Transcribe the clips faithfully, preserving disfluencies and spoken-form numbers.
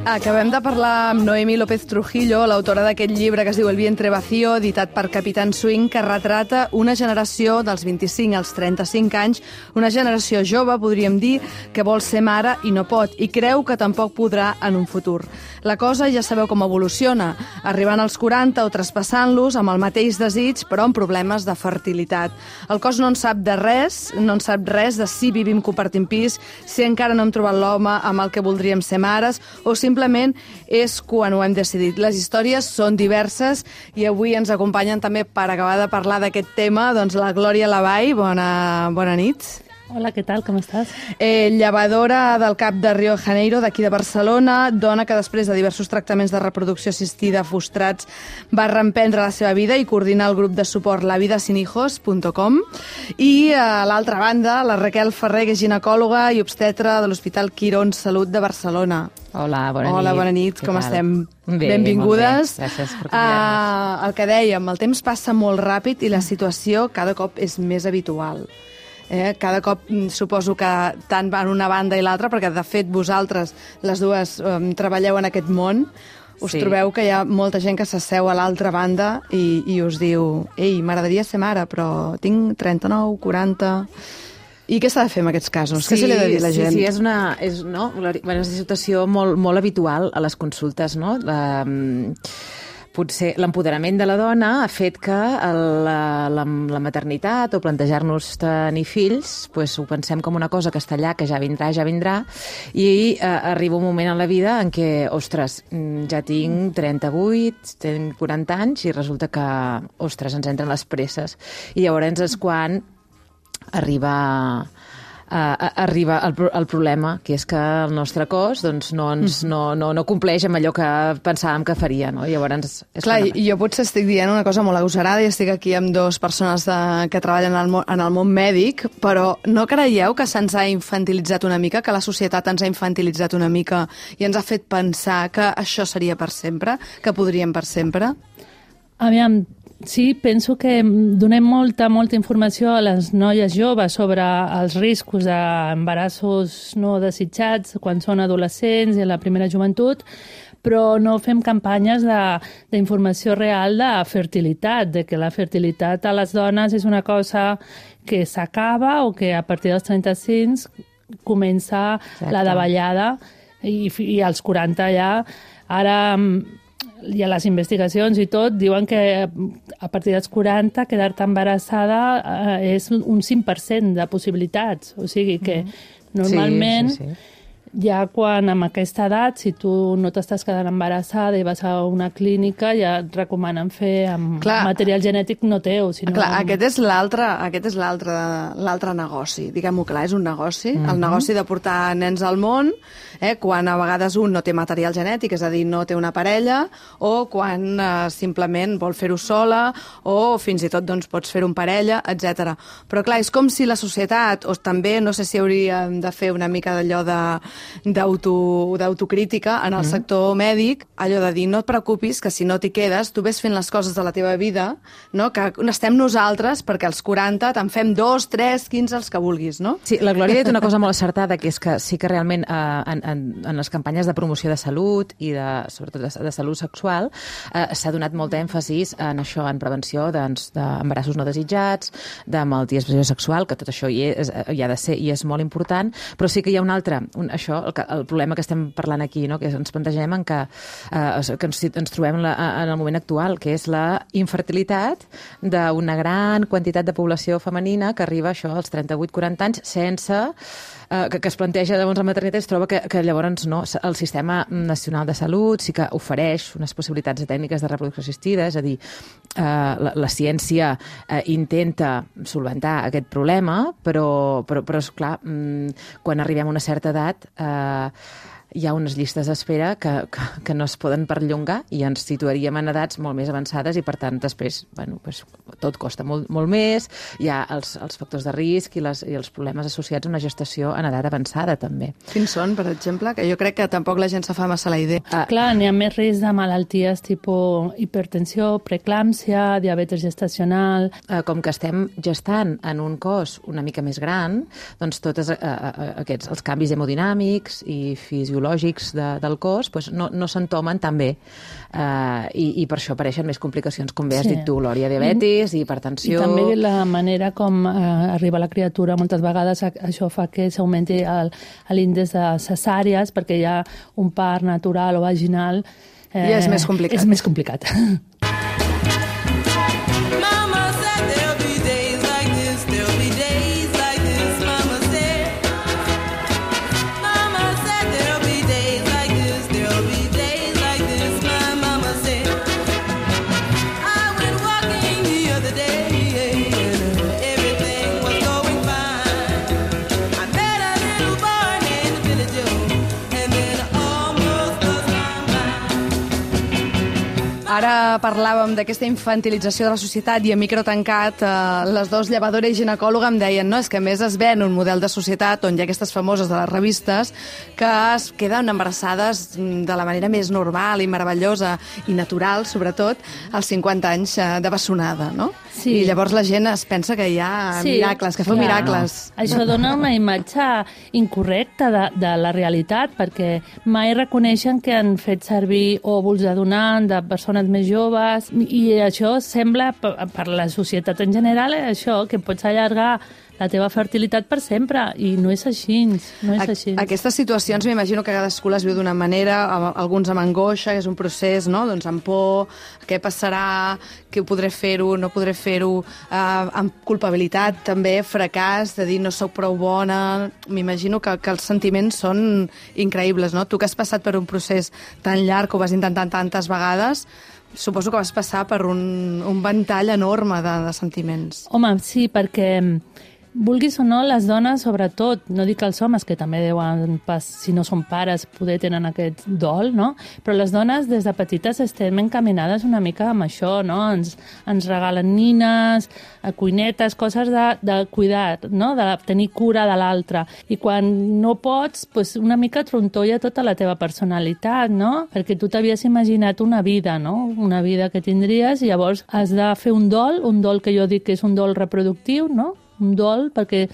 Acabem de parlar amb Noemí López Trujillo, l'autora d'aquest llibre que es diu El vientre vacío, editat per Capitán Swing, que retrata una generació dels vint-i-cinc als trenta-cinc anys, una generació jove, podríem dir, que vol ser mare i no pot, i creu que tampoc podrà en un futur. La cosa ja sabeu com evoluciona, arribant als quaranta o traspassant-los amb el mateix desig, però amb problemes de fertilitat. El cos no en sap de res, no en sap res de si vivim compartint pis, si encara no hem trobat l'home amb el que voldríem ser mares, o simplement és quan ho hem decidit. Les històries són diverses i avui ens acompanyen també per acabar de parlar d'aquest tema, doncs la Glòria Lavall. Bona, bona nit. Hola, què tal? Com estàs? Eh, llevadora del CAP de Rio de Janeiro, d'aquí de Barcelona, dona que després de diversos tractaments de reproducció assistida frustrats va reemprendre la seva vida i coordinar el grup de suport la vida sin hijos punt com. I a l'altra banda, la Raquel Ferrer, que és ginecòloga i obstetra de l'Hospital Quirón Salut de Barcelona. Hola, bona Hola, nit. bona nit, com estem? Bé, benvingudes. Molt bé. Gràcies per convidar-nos. Uh, el que dèiem, el temps passa molt ràpid i la situació cada cop és més habitual. Eh? Cada cop suposo que tant en una banda i l'altra, perquè de fet vosaltres, les dues, um, treballeu en aquest món, us Sí. trobeu que hi ha molta gent que s'asseu a l'altra banda i, i us diu ei, m'agradaria ser mare, però tinc trenta-nou, quaranta... I què s'ha de fer en aquests casos? Sí, què se li ha de dir a la gent? Sí, sí, és una, és, no? bueno, és una situació molt, molt habitual a les consultes, no? La, potser l'empoderament de la dona ha fet que el, la, la, la maternitat o plantejar-nos tenir fills, pues, ho pensem com una cosa que està allà, que ja vindrà, ja vindrà, i eh, arriba un moment en la vida en què, ostres, ja tinc trenta-vuit, tinc quaranta anys, i resulta que, ostres, ens entren les presses. I llavors és quan arriba... Uh, arriba el, el problema, que és que el nostre cos doncs, no, ens, no, no, no compleix amb allò que pensàvem que faria. No? I llavors és Clar, i jo potser estic dient una cosa molt agosarada i estic aquí amb dues persones de, que treballen en el, món, en el món mèdic, però no creieu que se'ns ha infantilitzat una mica, que la societat ens ha infantilitzat una mica i ens ha fet pensar que això seria per sempre, que podríem per sempre? Aviam, sí, penso que donem molta, molta informació a les noies joves sobre els riscos d'embarassos no desitjats quan són adolescents i en la primera joventut, però no fem campanyes d'informació real de fertilitat, de que la fertilitat a les dones és una cosa que s'acaba o que a partir dels trenta-cinc comença Exacte. La davallada i, i als quaranta ja. Ara i a les investigacions i tot diuen que a partir dels quaranta quedar-te embarassada eh, és un cinc per cent de possibilitats. O sigui que normalment sí, sí, sí. Ja quan amb aquesta edat, si tu no t'estàs quedant embarassada i vas a una clínica, ja et recomanen fer amb clar, material genètic no teu. Sinó clar, amb... aquest és l'altre aquest és l'altre l'altre negoci. Diguem-ho clar, és un negoci. Mm-hmm. El negoci de portar nens al món, eh, quan a vegades un no té material genètic, és a dir, no té una parella, o quan eh, simplement vol fer-ho sola, o fins i tot doncs, pots fer-ho en parella, etcètera. Però clar, és com si la societat, o també, no sé si hauríem de fer una mica d'allò de d'autocrítica en el mm. sector mèdic, allò de dir, no et preocupis, que si no t'hi quedes, tu ves fent les coses de la teva vida, no? Que estem nosaltres, perquè als quaranta te'n fem dos, tres, quinze, els que vulguis, no? Sí, la Glòria ha dit una cosa molt acertada, que és que sí que realment eh, en, en, en les campanyes de promoció de salut i de, sobretot de, de salut sexual eh, s'ha donat molt èmfasis en això, en prevenció d'embarassos no desitjats, de malalties de transmissió sexual, que tot això hi, és, hi ha de ser i és molt important, però sí que hi ha un altre, un, això, el, el problema que estem parlant aquí, no? Que ens plantegem en que, eh, que ens, ens trobem la, en el moment actual, que és la infertilitat d'una gran quantitat de població femenina que arriba això als trenta-vuit quaranta anys sense eh, que, que es planteja llavors la maternitat, es troba que, que llavors no, el Sistema Nacional de Salut sí que ofereix unes possibilitats de tècniques de reproducció assistida, és a dir, eh, la, la ciència eh, intenta solventar aquest problema, però, però, però és clar, quan arribem a una certa edat eh, hi ha unes llistes d'espera que, que, que no es poden perllongar i ens situaríem en edats molt més avançades i, per tant, després, bueno, pues, tot costa molt, molt més, hi ha els, els factors de risc i, les, i els problemes associats a una gestació en edat avançada, també. Quins són, per exemple? Que jo crec que tampoc la gent se fa massa la idea. Ah. Clar, n'hi ha més risc de malalties tipus hipertensió, preeclàmpsia, diabetes gestacional... Eh, com que estem gestant en un cos una mica més gran, doncs tots eh, aquests, els canvis hemodinàmics i fisiològics biològics de, del cos doncs no, no s'entomen tan bé. Uh, i, i per això apareixen més complicacions, com bé has Sí. dit tu, Lòria, diabetis, I, hipertensió... I també la manera com eh, arriba la criatura, moltes vegades a- això fa que s'augmenti el- l'índex de cesàries, perquè hi ha un part natural o vaginal. I és més complicat. És més complicat. Mama said there'll be days like this, there'll be days like this, Mama said. Mama said there'll be days like this, there'll be days like this, my mama said. I went walking the other day and everything was going fine. I met a little boy named Billy Joe and then almost lost my mind. Ara parlàvem d'aquesta infantilització de la societat i a micro tancat eh, les dues llevadora i ginecòloga em deien no, és que a més es ven un model de societat on hi ha aquestes famoses de les revistes que es queden embarassades mm, de la manera més normal i meravellosa i natural, sobretot, als cinquanta anys eh, de bessonada, no? Sí. I llavors la gent es pensa que hi ha Sí, miracles, que feu clar. miracles. Això dona una imatge incorrecta de, de la realitat, perquè mai reconeixen que han fet servir òvuls de donant de persones més joves, i això sembla, per, per la societat en general, això, que pots allargar la teva fertilitat per sempre, i no és així, no és així. A- Aquestes situacions m'imagino que cadascú les viu d'una manera, a- alguns amb angoixa, que és un procés, no? Doncs amb por, què passarà, que podré fer-ho, no podré fer-ho, eh, amb culpabilitat també, fracàs, de dir no sóc prou bona. M'imagino que, que els sentiments són increïbles, no? Tu que has passat per un procés tan llarg, que ho vas intentar tantes vegades, suposo que vas passar per un, un ventall enorme de, de sentiments. Home, sí, perquè vulguis o no, les dones, sobretot, no dic els homes, que també deuen, pas, si no són pares, poder tenen aquest dol, no? Però les dones, des de petites, estem encaminades una mica amb això, no? Ens, ens regalen nines, cuinetes, coses de, de cuidar, no? De tenir cura de l'altre. I quan no pots, pues una mica trontolla tota la teva personalitat, no? Perquè tu t'havies imaginat una vida, no? Una vida que tindries, i llavors has de fer un dol, un dol que jo dic que és un dol reproductiu, no? Un dol, perquè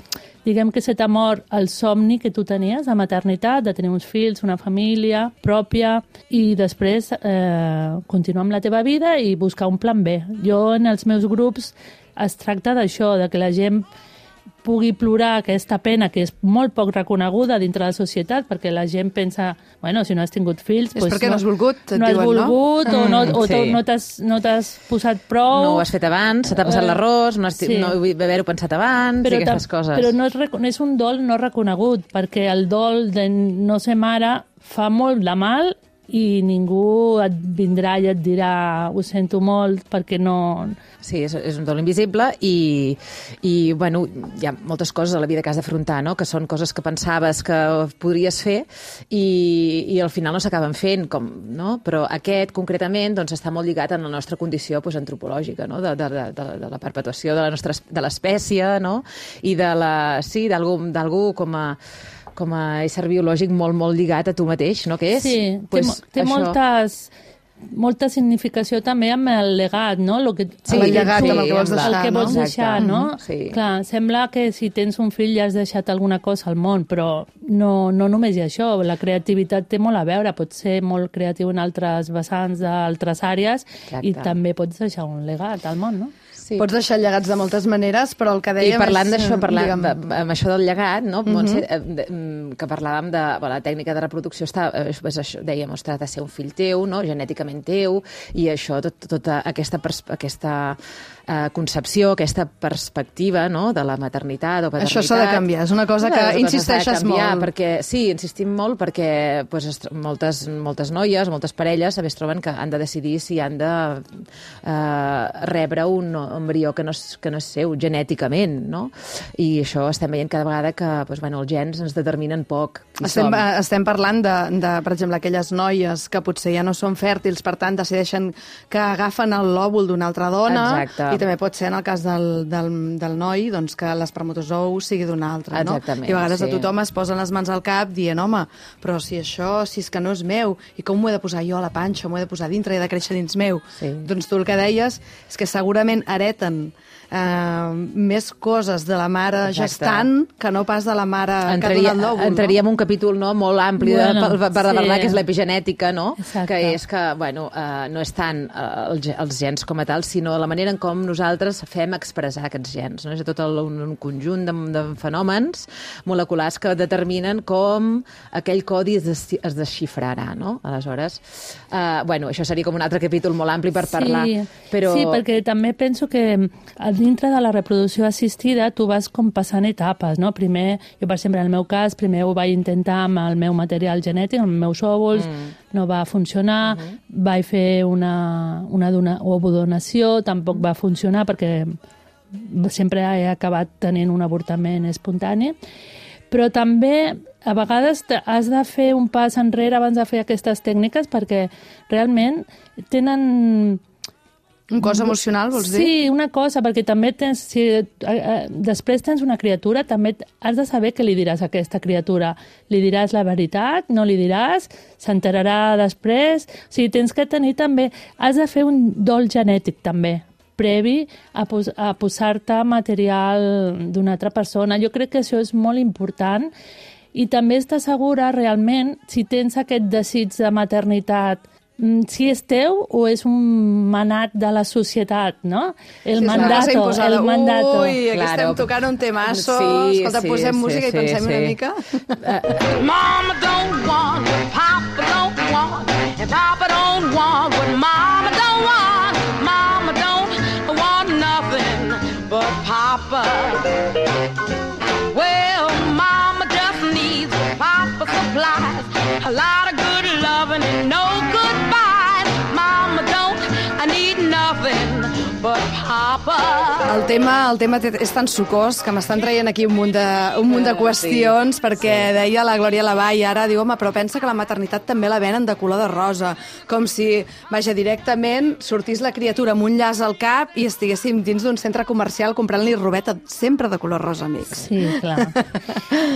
diguem que se t'ha mort el somni que tu tenies de maternitat, de tenir uns fills, una família pròpia, i després eh, continuar amb la teva vida i buscar un plan B. Jo, en els meus grups, es tracta d'això, de que la gent pugui plorar aquesta pena que és molt poc reconeguda dintre la societat, perquè la gent pensa, bueno, si no has tingut fills... És pues perquè no has volgut, et no has diuen, no? volgut, o no, o sí. no t'has no t'has posat prou... No ho has fet abans, se t'ha passat Eh, l'arròs, no, has, sí. no vull haver-ho pensat abans, i aquestes tam- coses. Però no és, reco- és un dol no reconegut, perquè el dol de no ser mare fa molt de mal i ningú et vindrà i et dirà ho sento molt perquè no... Sí, és, és un dol invisible i, i bueno, hi ha moltes coses a la vida que has d'afrontar, no? Que són coses que pensaves que podries fer i, i al final no s'acaben fent, com, no? Però aquest, concretament, doncs, està molt lligat en la nostra condició doncs, antropològica, no? de, de, de, de la perpetuació de la nostra de l'espècie, no? I de la, sí, d'algú d'algú com a com a ésser biològic molt, molt lligat a tu mateix, no? Que és? Sí, Pues, té, mo- té això... moltes... molta significació també amb el legat, no? Lo que, Sí, el llegat, amb el que vols el deixar, que no? vols deixar, Exacte. no? Mhm, sí. Clar, sembla que si tens un fill ja has deixat alguna cosa al món, però no, no només hi ha això. La creativitat té molt a veure, pots ser molt creatiu en altres vessants d'altres àrees. Exacte. I també pots deixar un legat al món, no? Sí. Pots deixar llegats de moltes maneres, però el que dèiem I parlant és... d'això, parlant digue'm, de, amb això del llegat, no? Montse, eh, de, mm, que parlàvem de bueno, la tècnica de reproducció, està, eh, és això, dèiem, es tracta de ser un fill teu, no? Genèticament teu, i això, tot, tota aquesta, pers aquesta eh, concepció, aquesta perspectiva, no? De la maternitat o paternitat. Això s'ha de canviar, és una cosa que És una cosa insisteixes s'ha de canviar, molt. Perquè, sí, insistim molt perquè pues, es, moltes, moltes noies, moltes parelles també es troben que han de decidir si han de eh, rebre un embrió que no, és, que no és seu, genèticament, no? I això estem veient cada vegada que pues, bueno, els gens ens determinen poc. qui Estem, som. estem parlant de, de, per exemple, aquelles noies que potser ja no són fèrtils infèrtils, per tant, decideixen que agafen el lòbul d'una altra dona. Exacte. I també pot ser, en el cas del, del, del noi, doncs, que l'espermatozou sigui d'una altra. No? Exactament, I a vegades sí. a tothom es posen les mans al cap dient, home, però si això, si és que no és meu, i com m'ho he de posar jo a la panxa, m'ho he de posar dintre i he de créixer dins meu? Sí. Doncs tu el que deies és que segurament hereten Uh, més coses de la mare Exacte. gestant que no pas de la mare Entraria, que ha donat l'òvul. entraríem no? un capítol no, molt ampli Bueno, de, per, per sí. parlar que és l'epigenètica, no? Exacte. Que és que bueno, uh, no és tant uh, els, els gens com a tal, sinó la manera en com nosaltres fem expressar aquests gens. No? És tot el, un, un conjunt de, de fenòmens moleculars que determinen com aquell codi es, des, es desxifrarà. No? Aleshores, uh, bueno, això seria com un altre capítol molt ampli per parlar. Sí, però... sí, perquè també penso que dintre de la reproducció assistida tu vas com passant etapes, no? Primer, jo per exemple, en el meu cas, primer ho vaig intentar amb el meu material genètic, amb els meus òvuls, mm. no va funcionar, uh -huh. vaig fer una, una dona, ovodonació, tampoc va funcionar perquè sempre he acabat tenint un avortament espontani, però també a vegades has de fer un pas enrere abans de fer aquestes tècniques perquè realment tenen... Un cos emocional, vols dir? Sí, una cosa, perquè també tens, si eh, eh, després tens una criatura, també has de saber què li diràs a aquesta criatura. Li diràs la veritat? No li diràs? S'enterarà després? O sigui, tens que tenir també... Has de fer un dol genètic, també, previ a, pos a posar-te material d'una altra persona. Jo crec que això és molt important i també estar segura realment si tens aquest desig de maternitat, si és teu o és un manat de la societat, no? El sí, mandato, el mandato. Ui, aquí Claro. estem tocant un temasso. Sí, Escolta, sí, posem sí, música sí, i pensem sí. una mica. Mama don't want, Papa don't want, and Papa don't want what Mama don't want. Mama don't want nothing but Papa. Well, Mama just needs what Papa supplies. A lot of good loving and no goodbyes. Mama don't, I need nothing but Papa. El tema, el tema té- és tan sucós que m'estan traient aquí un munt de, un munt de qüestions, Sí, perquè sí. deia la Glòria Lavall, ara diu, home, però pensa que la maternitat també la venen de color de rosa, com si, vaja, directament sortís la criatura amb un llaç al cap i estiguéssim dins d'un centre comercial comprant-li robeta sempre de color rosa, amics. Sí, clar.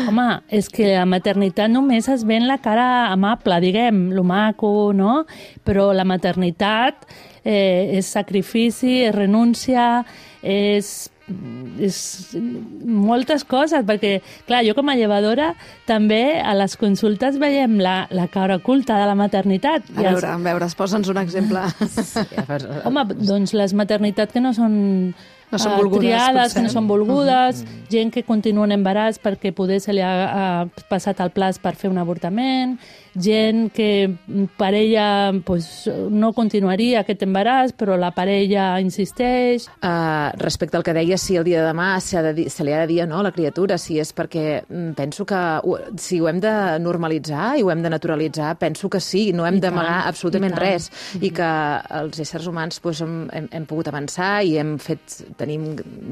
Home, és que la maternitat només es ven la cara amable, diguem, lo maco, no? Però la maternitat eh, és sacrifici, és renúncia, és, és moltes coses, perquè, clar, jo com a llevadora també a les consultes veiem la, la cara oculta de la maternitat. A veure, a veure, posa'ns un exemple. Home, doncs les maternitats que no són No són eh, volgudes, triades, que no potser. són volgudes, gent que continua en embaràs perquè poder se li ha, ha passat el plaç per fer un avortament, gent que per ella pues, no continuaria aquest embaràs, però la parella insisteix. Uh, respecte al que deia, si el dia de demà se, de dir, se li ha de dir no, a la criatura, si és perquè mm, penso que ho, si ho hem de normalitzar i ho hem de naturalitzar, penso que sí, no hem I d'amagar tant, absolutament i tant. res, i que els éssers humans pues, hem, hem, hem pogut avançar i hem fet, tenim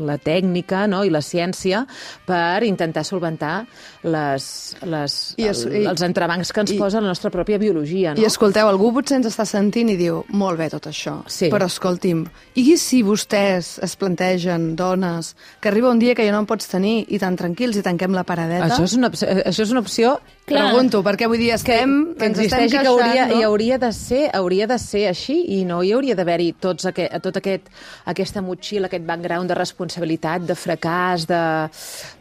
la tècnica no, i la ciència per intentar solventar les, les, I es- el, i- els entrebancs que ens i- posa la nostra pròpia biologia. No? I escolteu, algú potser ens està sentint i diu, molt bé tot això, Sí. però escolti'm, i si vostès es plantegen, dones, que arriba un dia que ja no en pots tenir i tan tranquils i tanquem la paradeta? Això és una, opció- això és una opció Clar. Pregunto, perquè vull dir, estem, que ens estem existeix i queixant, que hauria, no? i hauria de ser hauria de ser així i no hi hauria d'haver-hi tots aquest, tot aquest, aquesta motxilla, aquest background de responsabilitat, de fracàs, de...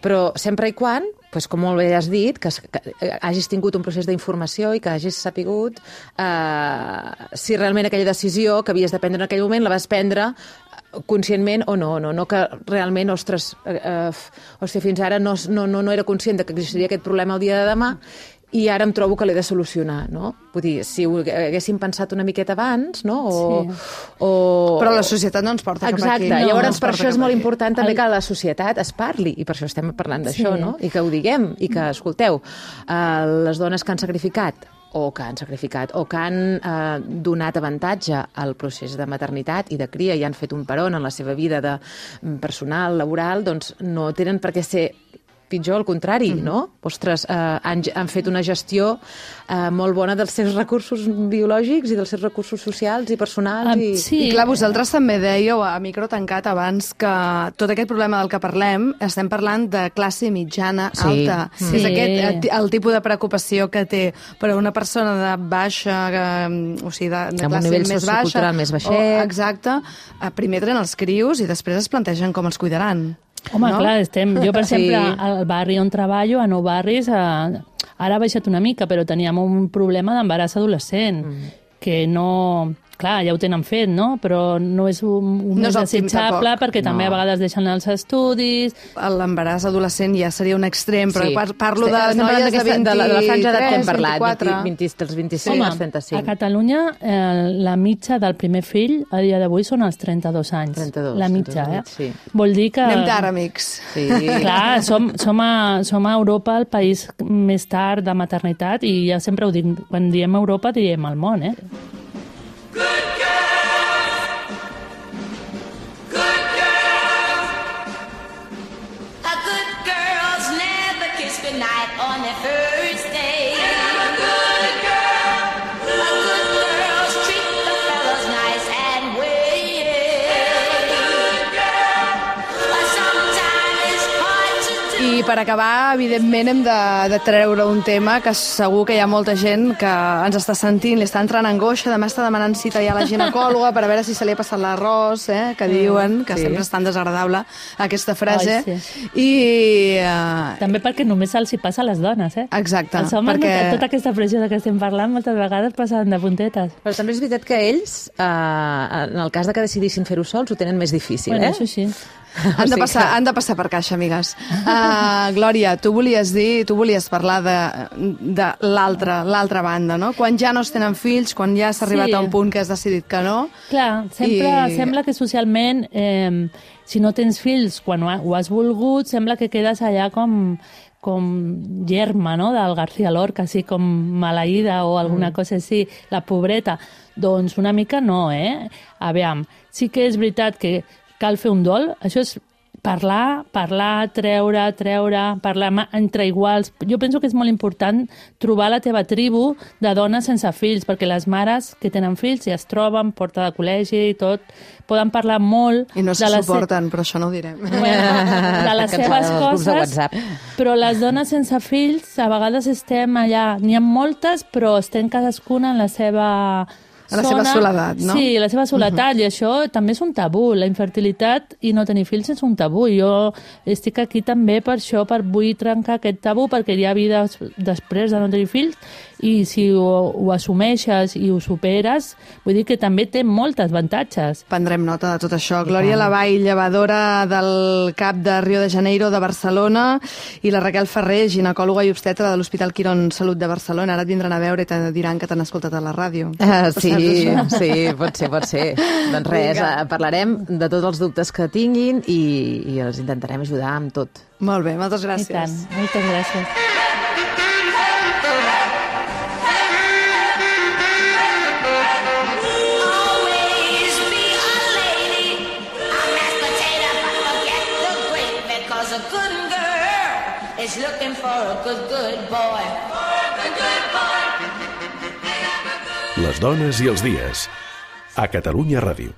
però sempre i quan, doncs, com molt bé has dit, que, es- que hagis tingut un procés d'informació i que hagis sapigut eh, si realment aquella decisió que havies de prendre en aquell moment la vas prendre conscientment o no, no, no que realment, ostres, eh, eh, hòstia, fins ara no, no, no, no era conscient de que existiria aquest problema el dia de demà i ara em trobo que l'he de solucionar, no? Vull dir, si ho haguéssim pensat una miqueta abans, no? O, Sí. o... Però la societat no ens porta cap Exacte, aquí. no, llavors no ens per porta això és cap molt aquí. important també El- que la societat es parli, i per això estem parlant d'això, Sí. no? I que ho diguem, i que, escolteu, eh, les dones que han sacrificat o que han sacrificat, o que han eh, donat avantatge al procés de maternitat i de cria i han fet un peron en la seva vida de, personal, laboral, doncs no tenen per què ser pitjor, al contrari, mm. no? Ostres, eh, han, han fet una gestió eh, molt bona dels seus recursos biològics i dels seus recursos socials i personals. Um, I... sí. I clar, vosaltres també dèieu a micro tancat abans que tot aquest problema del que parlem estem parlant de classe mitjana Sí. alta. Sí. És aquest el tipus de preocupació que té per a una persona de baixa, eh, o sigui, de, de Amb un classe nivell més baixa. sociocultural més baixet. O, exacte. Eh, Primer tenen els crios i després es plantegen com els cuidaran. Home, no? clar, estem... Jo, per Sí. exemple, al barri on treballo, a Nou Barris, eh, ara ha baixat una mica, però teníem un problema d'embaràs adolescent, mm. que no... Clar, ja ho tenen fet, no? Però no és un, un No és més òptim, desitjable tampoc. perquè també No. a vegades deixen els estudis. L'embaràs adolescent ja seria un extrem, però Sí. par parlo de Estem parlant noies de d'aquesta- vint-i-tres, de la, de la franja d'edat que hem parlat, vint-i-quatre. vint, vint, dels vint-i-cinc Home, als trenta-cinc. a Catalunya eh, la mitja del primer fill a dia d'avui són els trenta-dos anys. trenta-dos, La mitja, trenta-dos, eh? sí. Vol dir que... Anem tard, amics. Sí. Clar, som, som, a, som a Europa el país més tard de maternitat i ja sempre ho dic, quan diem Europa diem el món, eh? A good girls never kiss goodnight on their first date. A good girl. A good girls treat the fellas nice and wait. A good girl. But sometimes it's hard to do. I per acabar, evidentment, hem de, de treure un tema que segur que hi ha molta gent que ens està sentint, li està entrant angoixa, demà està demanant cita ja a la ginecòloga per a veure si se li ha passat l'arròs, eh, que diuen, que sí. sempre és tan desagradable aquesta frase. Ai, sí. I... Uh, També perquè només els hi passa a les dones, eh? exacte. Els homes, perquè... perquè... tota aquesta pressió de què estem parlant, moltes vegades passen de puntetes. Però també és veritat que ells, eh, en el cas de que decidissin fer-ho sols, ho tenen més difícil, Bueno, eh? això sí. Han de, passar, han de passar per caixa, amigues. Uh, Glòria, tu volies dir, tu volies parlar de, de l'altra l'altra banda, no? Quan ja no es tenen fills, quan ja s'ha arribat Sí. a un punt que has decidit que no. Clar, sempre I- sembla que socialment, eh, si no tens fills quan ho, ha- ho has volgut, sembla que quedes allà com com germa, no?, del García Lorca, així com maleïda o alguna mm. cosa així, la pobreta. Doncs una mica no, eh? Aviam, sí que és veritat que cal fer un dol, això és parlar, parlar, treure, treure, parlar ma- entre iguals. Jo penso que és molt important trobar la teva tribu de dones sense fills, perquè les mares que tenen fills ja es troben, porta de col·legi i tot, poden parlar molt... I no se de les se- suporten, però això no ho direm. Bueno, de les Que ens seves agraden els grups de coses, WhatsApp. però les dones sense fills a vegades estem allà, n'hi ha moltes, però estem cadascuna en la seva En la seva zona. soledat, no? Sí, la seva soledat, uh -huh. i això també és un tabú. La infertilitat i no tenir fills és un tabú. Jo estic aquí també per això, per vull trencar aquest tabú, perquè hi ha vida després de no tenir fills, i si ho, ho assumeixes i ho superes, vull dir que també té molts avantatges. Prendrem nota de tot això. Glòria Lavall, llevadora del CAP de Rio de Janeiro de Barcelona, i la Raquel Ferrer, ginecòloga i obstetra de l'Hospital Quirón Salut de Barcelona. Ara et vindran a veure i te diran que t'han escoltat a la ràdio. Uh, sí, Saps això? sí, pot ser, pot ser. Doncs res, Vinga. uh, parlarem de tots els dubtes que tinguin i, i els intentarem ajudar amb tot. Molt bé, moltes I gràcies. tant, moltes gràcies. Always be a lady, a mashed potato, but forget the gravy, 'cause a good girl is looking for a good, good boy. Good, good boy. Les dones i els dies. A Catalunya Ràdio.